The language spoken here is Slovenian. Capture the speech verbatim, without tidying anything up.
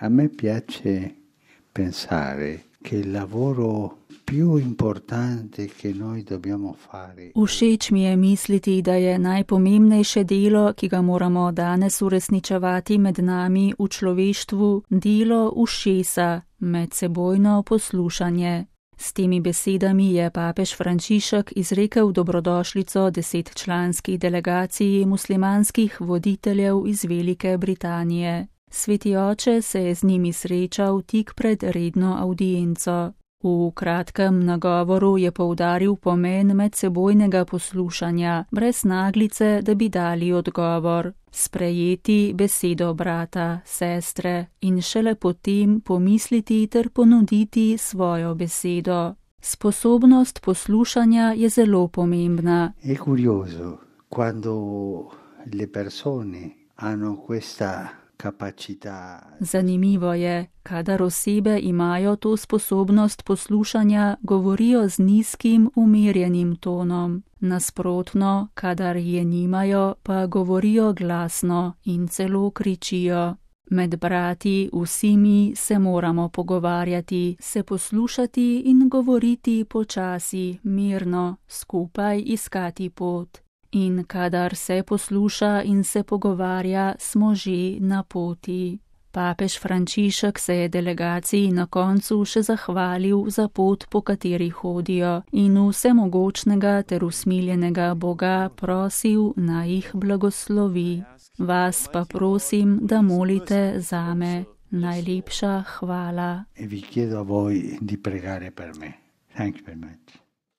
A me piace pensare che il lavoro più importante che noi dobbiamo fare. Všeč mi je misliti, da je najpomembnejše delo, ki ga moramo danes uresničevati med nami v človeštvu, delo ušesa, medsebojno poslušanje. S temi besedami je papež Frančišek izrekel dobrodošlico desetčlanski delegaciji muslimanskih voditeljev iz Velike Britanije. Sveti oče se je z njimi srečal tik pred redno avdienco. V kratkem nagovoru je poudaril pomen medsebojnega poslušanja, brez naglice, da bi dali odgovor. Sprejeti besedo brata, sestre in šele potem pomisliti ter ponuditi svojo besedo. Sposobnost poslušanja je zelo pomembna. È curioso quando le persone hanno questa capacità. Zanimivo je, kadar osebe imajo to sposobnost poslušanja, govorijo z nizkim, umirjenim tonom. Nasprotno, kadar je nimajo, pa govorijo glasno in celo kričijo. Med brati vsi mi se moramo pogovarjati, se poslušati in govoriti počasi, mirno, skupaj iskati pot. In kadar se posluša in se pogovarja, smo že na poti. Papež Frančišek se je delegaciji na koncu še zahvalil za pot, po kateri hodijo, in vsemogočnega ter usmiljenega Boga prosil, naj jih blagoslovi. Vas pa prosim, da molite zame. Najlepša hvala. E vi chiedo a voi di pregare per me. Thank you very much.